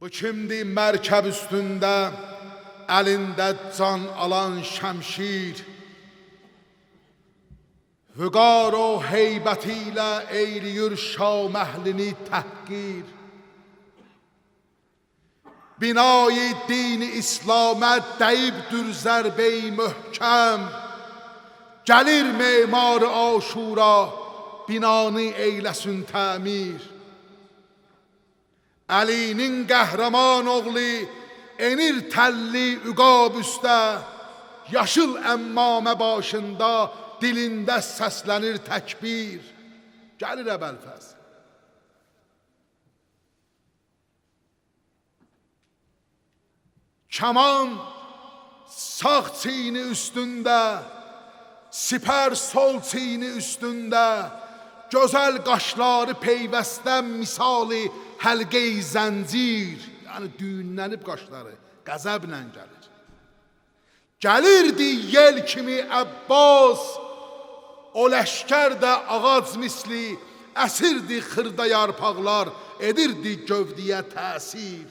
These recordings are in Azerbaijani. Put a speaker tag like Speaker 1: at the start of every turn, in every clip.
Speaker 1: Bu kimdir mərkəb üstündə, əlində can alan şəmşir, vüqar o heybəti ilə eyliyir şaməhlini təhqir. Binayı dini İslamət dəyibdür zərbəyi möhkəm, gəlir memar Aşura, binanı eyləsin təmir. Əlinin qəhrəman oğlu enir təlli üqab üstə, yaşıl əmmamə başında dilində səslənir təkbir. Gəlir Əbəlfəz. Kaman sağ çiyni üstündə, sipər sol çiyni üstündə, gözəl qaşları peyvəstdən misali həlqə-i zəncir, yəni düyünlənib qaşları, qəzəblə gəlir. Gəlirdi yel kimi Əbbas, o ləşkər də ağac misli, əsirdi xırda yarpaqlar, edirdi gövdəyə təsir.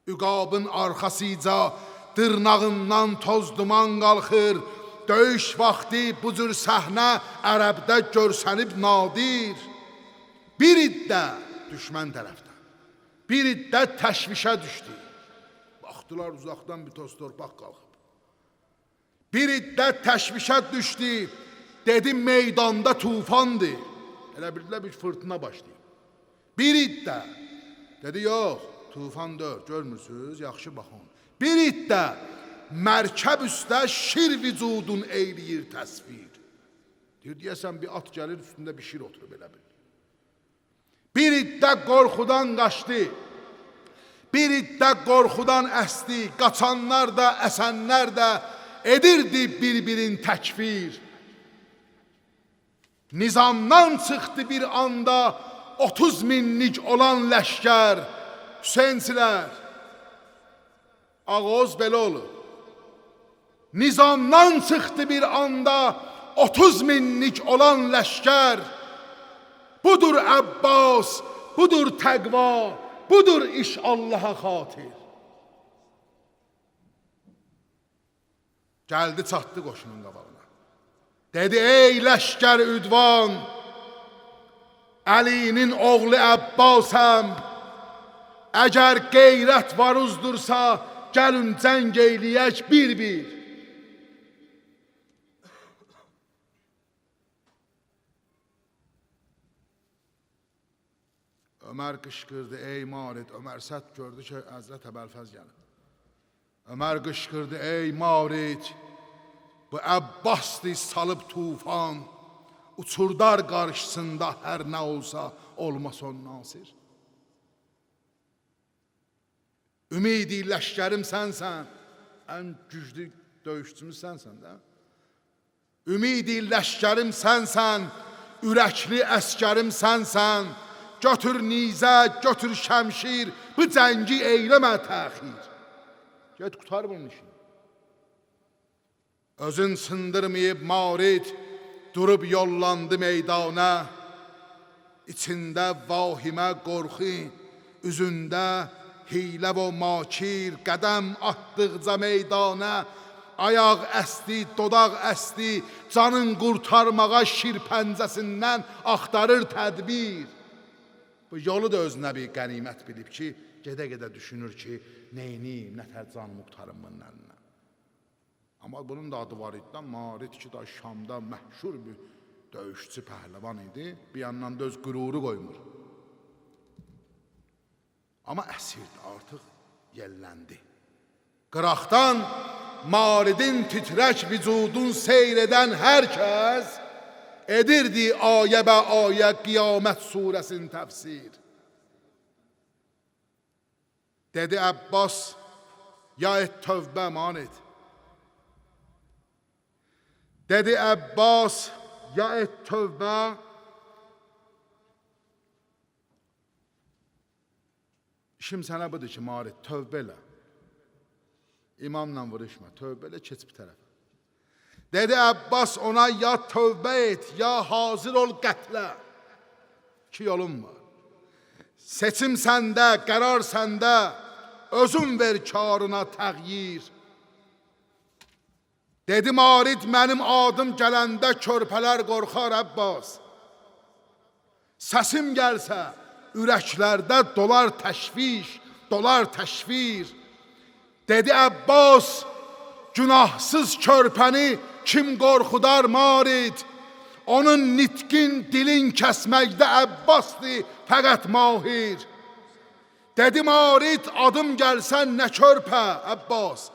Speaker 1: Üqabın arxasıca dırnağından toz duman qalxır, döyüş vaxtı bu cür səhnə ərəbdə görsənib nadir. Bir iddə düşmən tərəfdən, bir iddə təşvişə düşdü. Baxdılar uzaqdan bir toz torpaq qalxıb. Bir iddə təşvişə düşdü, dedi meydanda tufandır. Elə bildilər bir fırtına başlayıb. Bir iddə, dedi yox, tufan deyil, görmürsünüz, yaxşı baxın. Bir iddə mərkəb üstə şir vücudun eyləyir təsvir. Deyir, deyəsən bir at gəlir, üstündə bir şir oturub elə bil. Bir iddə qorxudan qaçdı, bir iddə qorxudan əsdi, qaçanlar da, əsənlər də edirdi bir-birin təkfir. Nizamdan çıxdı bir anda 30 minlik olan ləşkər, Hüseynsilər, ağoz belə olur. Nizamdan çıxdı bir anda 30 minlik olan ləşkər, budur Əbbas, budur təqva, budur iş Allaha xatir. Gəldi çatdı qoşunun qabağına. Dedi, ey ləşkər üdvan, Əlinin oğlu Əbbasəm, əgər qeyrət var uzdursa, gəlin cəng eyləyək bir-bir. Ömər qışqırdı, ey marid. Ömər sədd gördü ki, Həzrət Əbəlfəz gəlir. Ömər qışqırdı, ey marid, bu Əbbasdır salıb tufan, uçurdar qarşısında hər nə olsa, olmaz on nasir. Ümidi ləşkərim sənsən, ən güclü döyüşçümüz sənsən də. Ümidi ləşkərim sənsən, ürəkli əskərim sənsən, götür nizə, götür şəmşir, bu cəngi eyləmə təxir. Get qutar bunun işini. Özün sındırmayıb marid, durub yollandı meydana, içində vahimə qorxu, üzündə hilə və makir, qədəm atdıqca meydana, ayaq əsdi, dodaq əsdi, canın qurtarmağa şir pəncəsindən axtarır tədbir. Bu yolu da özünə bir qənimət bilib ki, gedə-gedə düşünür ki, neyniyim, nətər canımı qurtarım bunun əlinə. Amma bunun da adı var idi, Marid ki, da Şamda məhşur bir döyüşçü pəhləvan idi, bir yandan da öz qüruru qoymur. Amma əsirdi, artıq yelləndi. Qıraqdan Maridin titrək vücudun seyr edən hər kəs edirdi ayə bə ayə Qiyamət surəsinin təfsir. Dedi Əbbas, ya et tövbə Marid. Dedi Əbbas, ya et tövbə. İşim sənə budur ki, Marid, tövbə elə. İmamla vuruşma, tövbə elə, keç bir tərəfə. Dedi Əbbas ona, ya tövbə et, ya hazır ol qətlə. İki yolun var. Seçim səndə, qərar səndə, özün ver karına təğyir. Dedi Marid, mənim adım gələndə körpələr qorxar Əbbas. Səsim gəlsə, ürəklərdə dolar təşviş, dolar təşvir. Dedi Əbbas, günahsız körpəni kim qorxudar Marid? Onun nitqin dilin kəsməkdə Əbbasdır, fəqət mahir. Dedi Marid, adım gəlsən nə körpə Əbbas?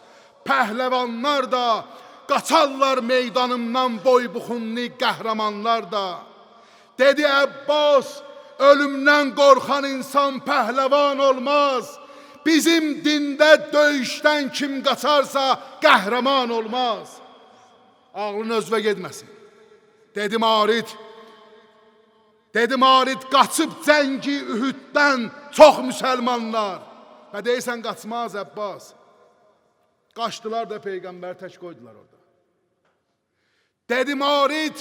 Speaker 1: Pəhləvanlar da, qaçarlar meydanımdan boybuxunlu qəhrəmanlar da. Dedi Əbbas, ölümdən qorxan insan pəhləvan olmaz. Bizim dində döyüşdən kim qaçarsa qəhrəman olmaz. Ağlın özvə getməsin. Dedi Marid, qaçıb cəngi Ühüddən çox müsəlmanlar. Və deyirsən qaçmaz Əbbas. Qaçdılar da Peyğəmbər tək qoydular orada. Dedi Marid,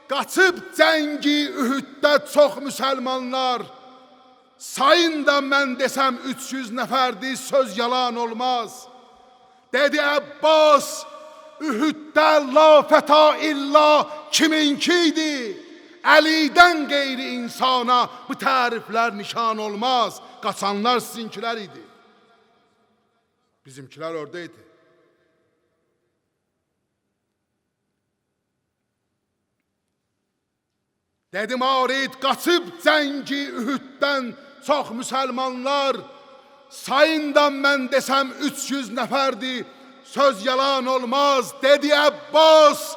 Speaker 1: qaçıb cəngi Ühüddə çox müsəlmanlar. Sayın da mən desəm 300 nəfərdir, söz yalan olmaz. Dedi Əbbas, Ühüddə la fəta illa kiminkiydi? Əlidən qeyri insana bu təriflər nişan olmaz. Qaçanlar sizinkilər idi. Bizimkilər oradaydı. Dedi Marid, qaçıb cəngi Ühüddən çox müsəlmanlar. Sayın da mən desəm 300 nəfərdir, söz yalan olmaz. Dedi Əbbas,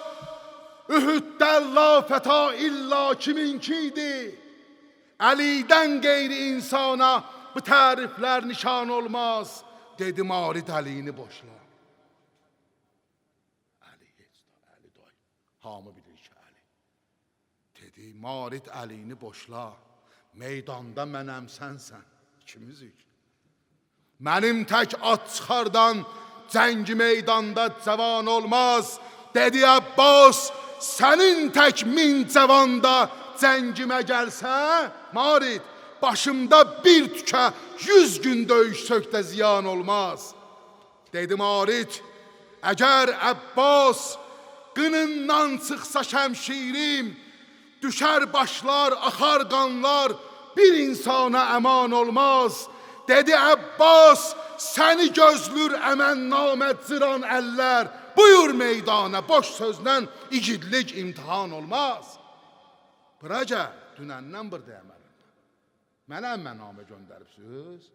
Speaker 1: Ühüddə la fəta illa kiminkiydi? Əlidən qeyri insana bu təriflər nişan olmaz. Dedi Marid, əlini boşla. Əli heç da, Əli day. Hamı bilir ki, Əli. Dedi Marid, əlini boşla. Meydanda mənəm, sənsən. İkimizik. Mənim tək at çıxardan cəngi meydanda cavan olmaz. Dedi Əbbas, sənin tək min cavanda cəngimə gəlsə, Marid, başımda bir tükə 100 gün döyüş sökdə ziyan olmaz. Dedi Marid, əgər Əbbas qınından çıxsa şəmşirim, düşər başlar, axar qanlar, bir insana əman olmaz. Dedi Əbbas, səni gözlür əmən namət zıran əllər, buyur meydana, boş sözlə igidlik imtihan olmaz. Bura gəl, dünəndən buradayım əlimdə. Mənə mənamə göndəribsiniz.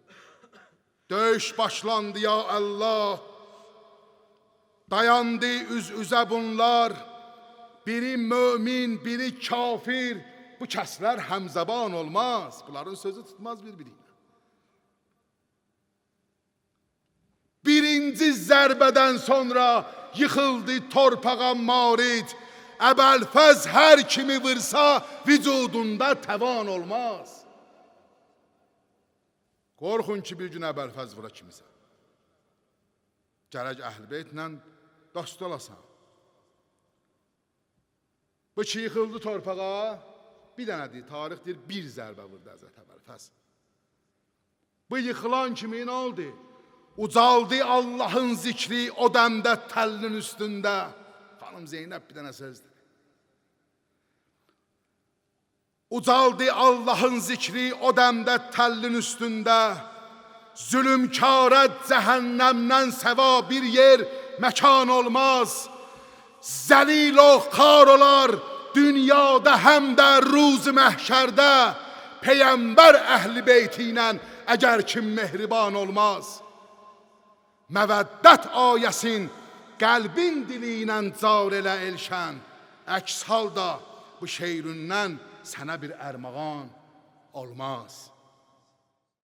Speaker 1: Döyüş başlandı ya Allah. Dayandı üz-üzə bunlar. Biri mömin, biri kafir. Bu kəslər həmzəban olmaz. Bunların sözü tutmaz bir-birinə. Birinci zərbədən sonra yıxıldı torpağa Marid. Əbəlfəz hər kimi vırsa vücudunda təvan olmaz. Qorxun ki bir gün Əbəlfəz vura kimisə. Gərək Əhl-Beytlə dost olasan. Bu ki yıxıldı torpağa, bir dənədir, tarix deyir, bir zərbə vurdu Həzrət Əbəlfəz. Bu yıxılan kimi nə oldu? Ucaldı Allahın zikri o dəmdə təllin üstündə. Xanım Zeynəb bir dənə sözdür. Ucaldı Allahın zikri o dəmdə təllin üstündə. Zülümkara cəhənnəmdən səva bir yer məkan olmaz. Zəlil o xar olar dünyada həm də ruz məhşərdə. Peyyəmbər Əhl-i Beyti ilə əgər kim mehriban olmaz. Məvəddət ayəsin qəlbin dili ilə car elə elşən. Əks halda bu şeirindən sənə bir ərmağan olmaz.